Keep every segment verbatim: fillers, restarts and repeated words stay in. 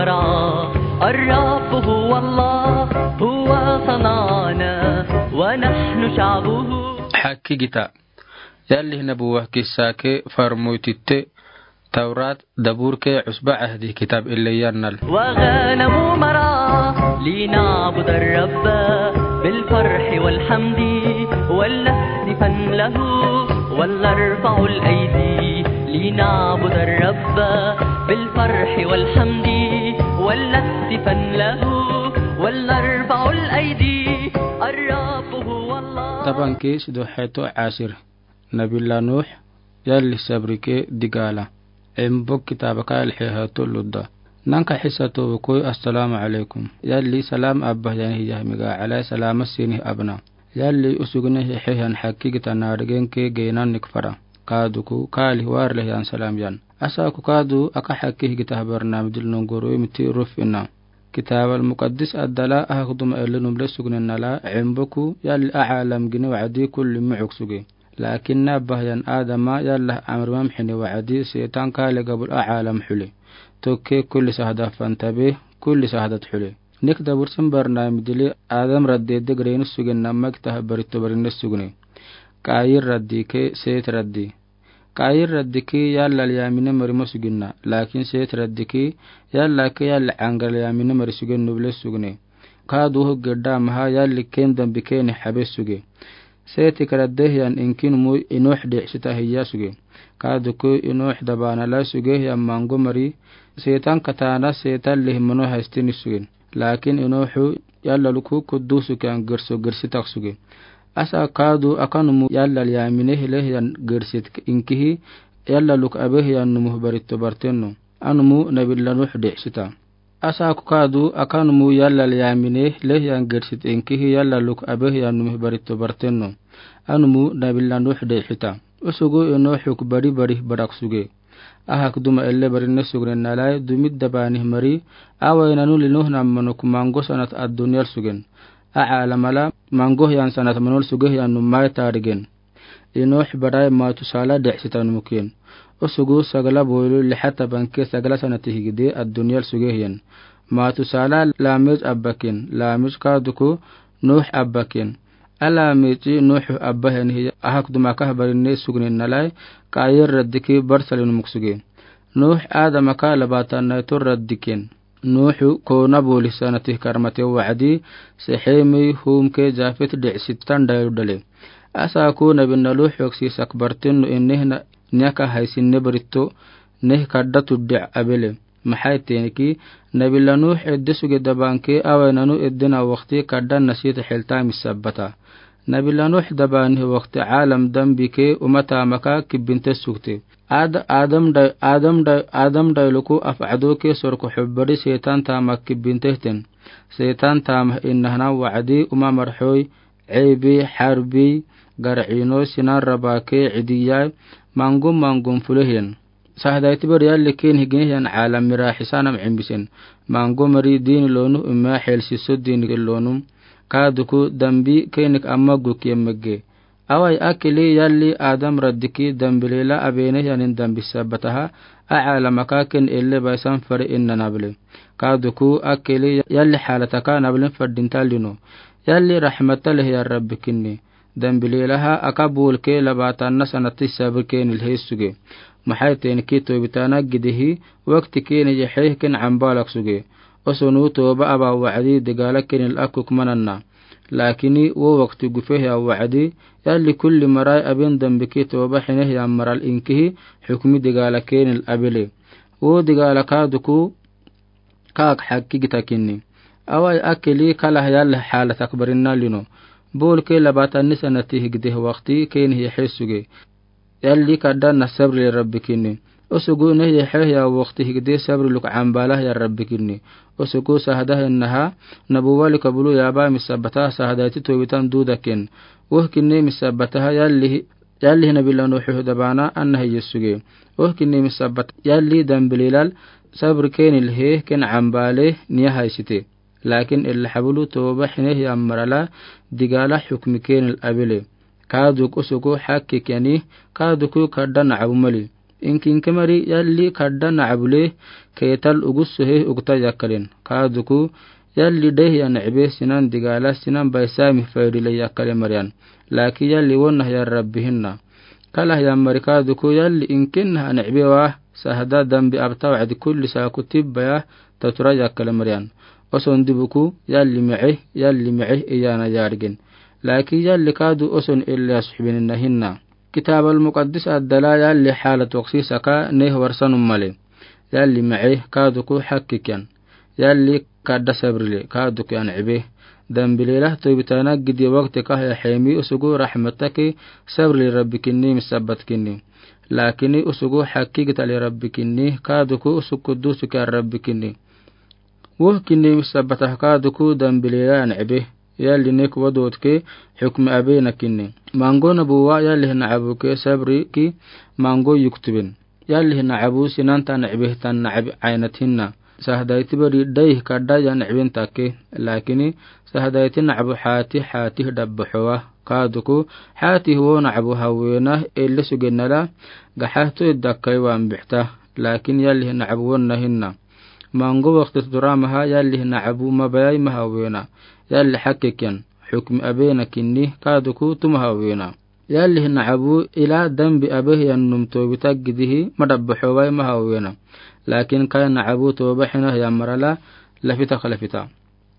الرب هو الله، هو صنعنا ونحن شعبه. Hakkigita. Yalli nabuwa kissa ke farmoy titte, Tawrat, Dabur ke, Usba Ahdi kitab ille yannal. وغنم مرعى لنعبد الرب بالفرح والحمد ولنهتفن له ولنرفع الأيدي لنعبد الرب بالفرح والحمد ولنهتفن له ولنرفع الأيدي. الرب هو الله. Taban ke sido heto asir. Nabila Nuh, yalli sabri ke digaala. Embok kitaba ka yalli heha tollu da. Nanka hisa to koi assalamu alaikum. Yalli salam abba yani hiya miga alai salama sini abna. Yalli usugni hehe yan hakkigita naarigen ke geenan nikfara. Kaadu ku kaali warle yan salam yan. Asa ku kaadu aka hakkigita habar namdil nongoro miti ruf ina. Kitab al-Muqaddis addala ahakuduma elli numle sugni nala emboku yalli alam gini wa'adi kulli mu'uk sugi. Laakin na bahyan Adama yalla amrimam hini wa'adi seetan kaale gabul alam huli. Tokke kulli sahda fantabe, kulli sahdat huli. Nik dabursin barnamidili Adam raddi degreeni sugin namma kitaha baritto barinne sugni. Kaayir raddi ke Seet raddi. Kaayir raddi ki yalla lyaamine mari ma suginna. Laakin Seet raddi ki yalla ke yalla aŋga lyaamine mari sugin nuble sugni. Kaadu hugge damaha yalli ken dambi keni habe sugi. Seeti kara dehyan inkin mu Inuh de sita hiya sugi. Kaadu ku Inuh dabana la sugi hiya mango mari. Seetan katana seetan lihmano haistini sugin. Laakin Inuhu yalla luku kuddusu kiyan girso girsitak sugi. Asa kaadu akanumu yalla lyaamine hile hiyan girsit inkihi yalla luk abe hiyan numu baritto bartenno. Anumu nabilla Nuh de sita. Asa ku kaadu akanumu yalla lyaamine hile hiyan girsit inkihi yalla luk abe hiyan numu baritto bartenno. Anumu nabilla Nuh de sita. Usugu Inuhu ku bari bari barak sugi. Ahak duma elle barinne sugnen nalai dumid dabani mari. Awaynanu li Nuh nammano ku mango sanat addunyal sugin. Alamala mango hiyan sanat manol sugi hiyan numai tarigen. Inuh barai Matusala de sita numukin. Usugu sagala boylu lihata banke sagala sanati higide addunyal sugi hiyan. Matusala Lamej abbakin. Lamej kaadu ku Nuh abbakin. Alamej Nuh abba hiyan hiya ahak duma kah barinne sugnen nalai Kaayir raddi ki barsali numuk sugi. Nuh Adama ka labatan naitor raddi ken. Nuhu kona boli sanati karmate wa'adi Sehemi hum ke Jafet de sitan dayu dale. Asa ku nabinna Nuh yoksi sakbartin nu inne na nyaka haisin ne baritto neh kadda tudde abele. Maxay teeniki nabila Nuh edde suge dabanke awaynanu eddena wakti kadda nasita helta misabbata. Nabila Nuh dabani wakti alam dambi ke umata maka kibbinte sugte. Ad-, Adam da-, Adam da-, Adam dailuku af'ado ke sorko hubbari seetan tama kibbinte hten. Seetan tama innahana wa'adi uma marxoy, ceebi, xarbi, gar'ino, sinan raba ke cidiyay, mangum mangum fulehiyan. Sahdayti bar yalli ken higin hiyan alam mira hisanam cimbisen. Mango mari diini lonu umma xelsiso diini lonu. Kaaduku dambi kenik amma guk yemmegge. Awai akili yalli Adam raddiki dambilela abene hiyanin dambi sabbataha. A alamaka ken elle baisan fari inna nabli. Kaaduku akili yalli xaalataka nablin faddinta lino. Yalli raxmata lehiya rabbikinni. Dambilelaha aka bulke labatanna sanati sabri kenil hesuge. Maxay teeniki tobitana gidihi wakti keni yaxeekin cambalak suge. Osonu toba aba wa'adi digala kenil akuk mananna. Laakini wo wakti gufehiya wa'adi yalli kulli marai abin dambiki toba xinehiya maral inkihi xukmi digala kenil abile. Wo digala kaaduku kaak xakki gitakinni. Awai akili kalah yalli xaalatak barinna lino. Bulke labatanni sanati higdeh wakti keni yaxesuge. Yalli kaddanna sabri le rabbikinni. Osugu neh yaxehiya wakti higdeh sabri luk cambalah ya rabbikinni. Osugu sahdahinnaha nabuwali kabulu yaba misabbata sahdayti tobitan dudakin. Wohkinni misabbataha yalli Yalli nabi Nuhu dabana anna heyesuge. Ohkinni misabbata yalli dambilelal sabri kenil hee ken cambale niya haysite. Laakin illa xabulu toba xinehi ammarala digala xukmi kenil abile. Kaaduk osugu xakkik yani kaaduku kaddan cabu mali. Inki inke mari yalli kadda nacabu le keetal ugusso he ugta yakkalen. Kaaduku yalli deihiya nicbe sinan digala sinan baisami faydi le yakkale mariyan. Laakin yalli wonnahiyan Rabbi hinna. Kalahiyan mari kaaduku yalli inkinnaha nicbe wa sahda dambi abta wacdi kulli saaku tibbaya tatura yakkale mariyan. Oson dibuku yalli mice, yalli mice iyaana yaadgin. Laakin yalli kaadu oson illa suxbininna hinna. Kitaabal muqaddis addala yalli xaala toksi saka neh warsanum male. Yalli mice kaaduku xakkikyan. Yalli kadda sabrile kaaduku yan cibe. Dambi lelah toybitaana gidi wakti kahya xeemi usugu raxmattaki sabrile Rabbi kinni misabbat kinni. Laakini usugu xakki gitale Rabbi kinni kaaduku usug kuddusu kyan Rabbi kinni. Woh kinni misabbatah kaaduku dambi lelah yan cibe. Yalli nek wadootke xukmi abena kinni. Mango nabuwa yalli nacabuke sabriki mango yuktubin. Yalli nacabu sinanta nicbehtan nacbi caynat hinna. Sahdayti bari dayih kadda yan cibin takke. Laakini sahdayti nacabu xaati xaatih dabbaxowa. Kaaduku xaatih wo nacabu hawena elle sugennala gaxahto idda akkai waan bixta. Laakin yalli nacabu wonna hinna. Mango wakti tuturamaha yalli nacabu mabayai ma hawena. Yalli xakkikyan xukmi abena kinni kaaduku tuma hawena. Yalli nacabu ila dambi abehyannum toobita gidihi ma dabbaxowai ma hawena. Laakin kai nacabu tooba xinahiyan marala lafitak lafita.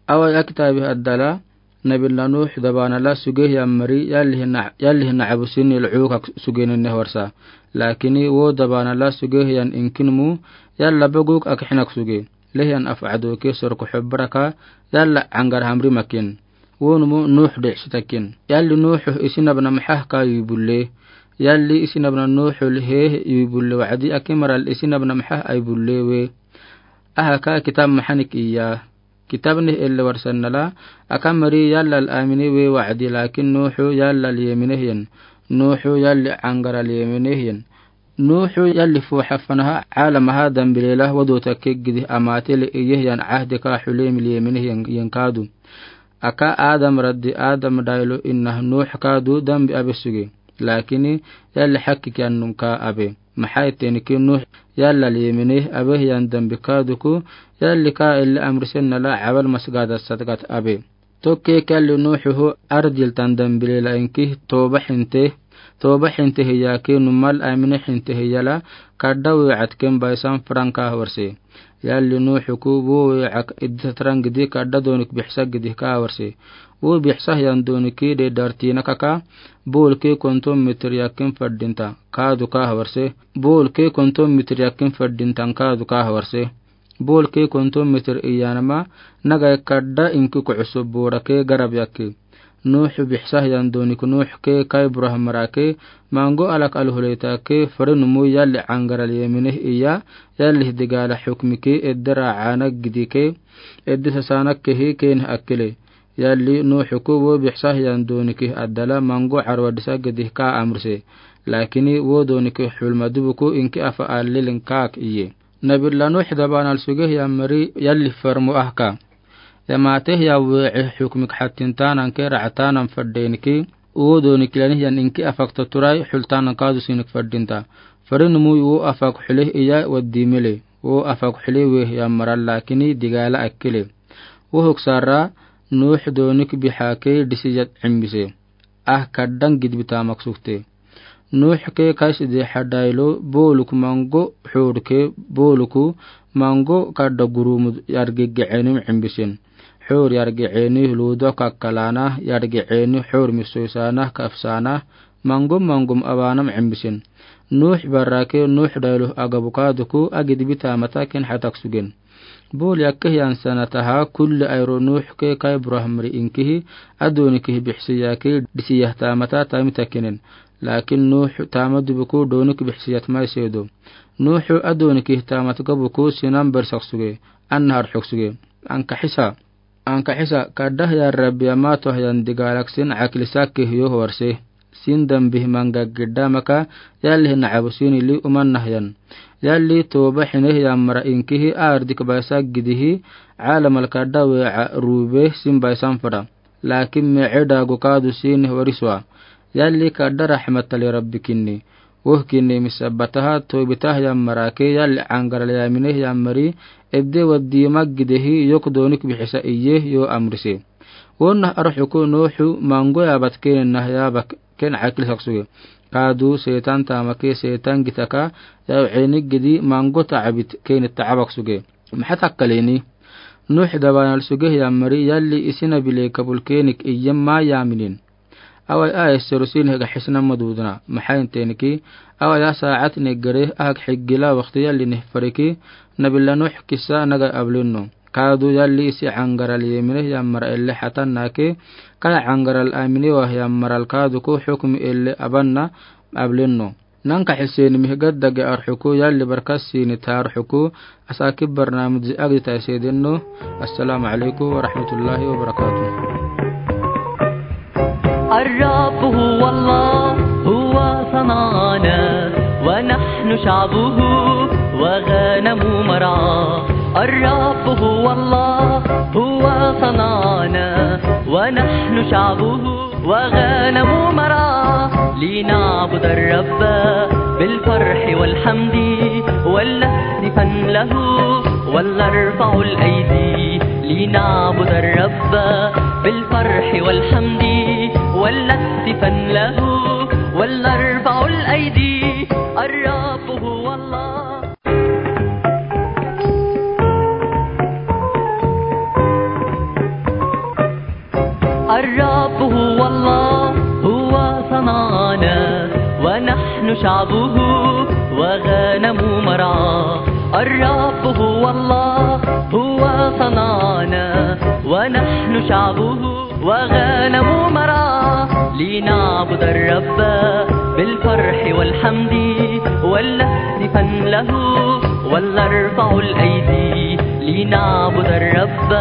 Awai akitaabi addala nabi la Nuux dabaanala sugehiyan mari yalli nacabu sini lucukak sugeni neh warsa. Laakini wo dabaanala sugehiyan inkinumu yalla baguk akixinaksuge. Lehiyan afacdoke sorko xobbaraka yalla cangar hamrimakin. Wonumu Nuux dicsitakin. Yalli Nuuxu isinabna maxah ka yui bulle. Yalli isinabna Nuuxu lihee yui bulle wacdi ake maral isinabna maxah ai bulle we. Aha ka kitab maxanik iya. Kitab neh elle warsannala aka mari yallal amine we wacdi laakin Nuuxu yallal yeminehyen. Nuuxu yalli cangaral yeminehyen. Nuuxu yalli fooxafanaha caalamaha dambi lelah wadootake gidih amaatele iyehiyan cahdi ka xulemil yeminehyen kaadu. Aka Adam raddi Adam daylo inah Nuux kaadu dambi abe suge. Laakini yalli xakkikyan num ka abe. Maxay tenki Nuux yallal yemineh abehiyan dambi kaaduku yalli ka elle amrisennala cabal masgada sadgat abe. Tokkek yalli Nuuxuhu ardiltan dambi lelah inki tooba xinte, tooba xinte hiya ke numal amine xinte hiyala kadda weecatken baysan fran ka hawarse. Yalli Nuuxuku wo weecak iddi satran gidi kadda doonik bixsa gidih ka hawarse. Wo bixsahiyan dooniki deedartina kaka boolke konton mitir yakkin fadinta kaadu ka hawarse. Boolke konton mitir yakkin fadintan kaadu ka hawarse. Boolke konton mitir iyanama nagai kadda inki kucuso boorake garab yakki. Nuuxu bixsahiyan doonik Nuux ke kai buraha marake mango alak alhuleita ke farinumu yalli cangaral yemineh iya yallih digaala xukmiki edde raacaana gidike edde sasaanakkehi keenih akkele. Yalli Nuuxuku wo bixsahiyan doonikih addala mango carwa disa gidih ka amrise. Laakini wo dooniki xulma dibuku inki afa alilin kaak iye. Nabi la Nuux dabaanal sugehiyan mari yalli farmo ahka. Yamaatehya weece xukmik xattintaananke ractaanan fadeeniki wo dooniki lanihyan inki afak taturai xultaanan kaadu sinik fadinta. Farinumu wo afak xuleh iya waddi mele. Wo afak xuleh wehiyan maral laakini digaala akkele. Wo huk sara Nuux doonik bixake disiyat cimbise. Ah kaddan gidbi taamak sukte. Nuux ke kaisi deexa daylo booluku mango xuurke booluku mango kadda gurumu yargegecenim cimbisin. Xuur yargecenih luudo kakkalaana yargecenih xuur misoisaanah kafsaanah mangom mangom awaanam cimbisin. Nuux barake Nuux daylo agabu kaaduku agidbi taamata ken xatak sugen. Bool yakkehiyan sanataha kulli ayro Nuux ke kai buraha mari inkihi adoonikihi bixsiyake disiyah taamata taamita kenen. Laakin Nuux taama dibuku doonik bixsiyat mai seedo. Nuux adoonikihi taamat gabuku sinan barsak suge. Annahar xuk suge. Ankaxisa. Ankaxisa kadahya Rabbi amaatohyan digaalak sin caklisakke hiyo hawarse. Sin dambih manga gidda maka yallih nacabu sini li umanahyan. Yalli tooba xinehyan mara inkihi aardik baysa gidihi caalamal kadda weeca ruube sin baysan fada. Laakin mece daago kaadu sini wariswa. Yalli kadda raxmatali Rabbi kinni. Wohkii ni misabataha, toobitaha yammarake, yalli aŋgaral yamine yammari, ebde waddi maggidehi, yok donik bixisa iye, yo amrise. Wonna arxuku Nuuxu maŋgo yaabat keenina yaabak keen akil saksuge. Kaadu seetan taamake seetan gitaka, yaaw eenigidi maŋgo taabit keen taabak suge. Maxa takkaleni. Nuux dabaanal suge yammari yalli isi nabi le kabul keenik iyyem ma yaaminin. Awai a esseru sini hega xisna madudna. Maxa inteeniki. Awai a saacad neggere ahag xiggila wakti yalli nihfariki. Nabila Nuux kisa naga ablinno. Kaadu yalli isi aŋgaral yemine yammara elle xatannake. Kala aŋgaral amine wa yammaral kaaduku xukmi elle abanna ablinno. Naŋka xiseni mihgaddage arxuku yalli barkasini taarxuku. Asakib barnaamij zi agdi taisedinno. Assalamu alaykum wa rahmatullahi wa barakatuh. الرب هو الله، هو صنعنا ونحن شعبه وغنم مرعاه. الرب هو الله، هو صنعنا ونحن شعبه وغنم مرعاه. لنعبد الرب بالفرح والحمد والهتفا له ولنرفع الأيدي. لنعبد الرب بالفرح والحمد ولنهتفا له ولنرفع الأيدي. الرب هو الله. الرب هو الله، هو صنعنا ونحن شعبه وغنم مرعاه. الرب هو الله، هو صنعنا ونحن شعبه وغنم مرعاه. لنعبد الرب بالفرح والحمد ولنهتفا له ولنرفع الأيدي. لنعبد الرب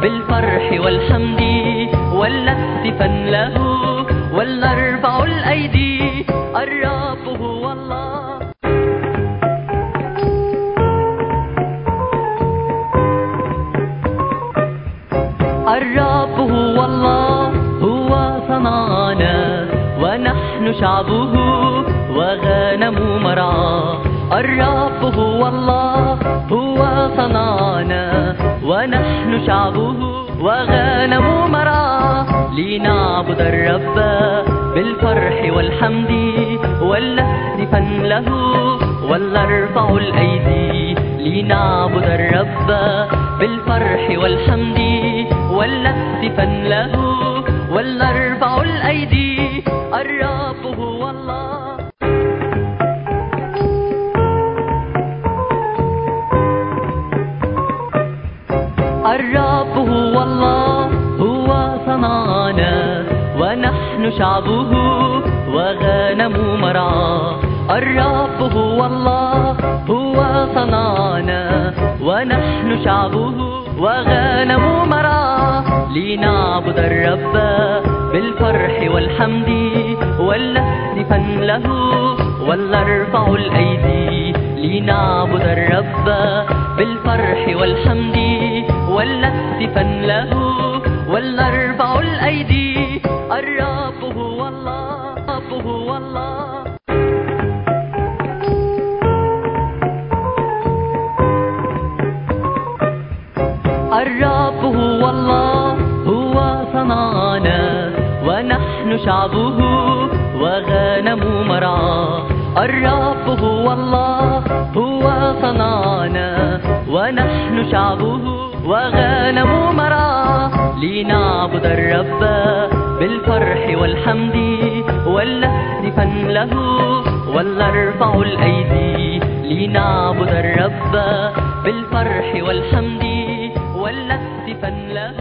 بالفرح والحمد ولنهتفا له ولنرفع الأيدي. الرب هو الله. الرب هو الله، هو صنعنا ونحن شعبه وغنم مرعاه. الرب هو الله، هو صنعنا ونحن شعبه وغنم مرعاه. لنعبد الرب بالفرح والحمد ولنهتفا له ولنرفع الأيدي. لنعبد الرب بالفرح والحمد ولنهتفا له ولنرفع الأيدي. الرب هو الله. الرب هو الله، هو صنعنا ونحن شعبه وغنم مرعاه. الرب هو الله، هو صنعنا ونحن شعبه وغنم مرعاه. لنعبد الرب بالفرح والحمد ولنهتفا له ولنرفع الأيدي. لنعبد الرب بالفرح والحمد ولنهتفا له ولنرفع الأيدي. الرب هو الله، الرب هو الله. الرب هو الله، هو صنعنا ونحن شعبه وغنم مرعاه. الرب هو الله، هو صنعنا ونحن شعبه وغنم مرعاه. لنعبد الرب بالفرح والحمد ولنهتفا له ولنرفع الأيدي. لنعبد الرب بالفرح والحمد ولنهتفا له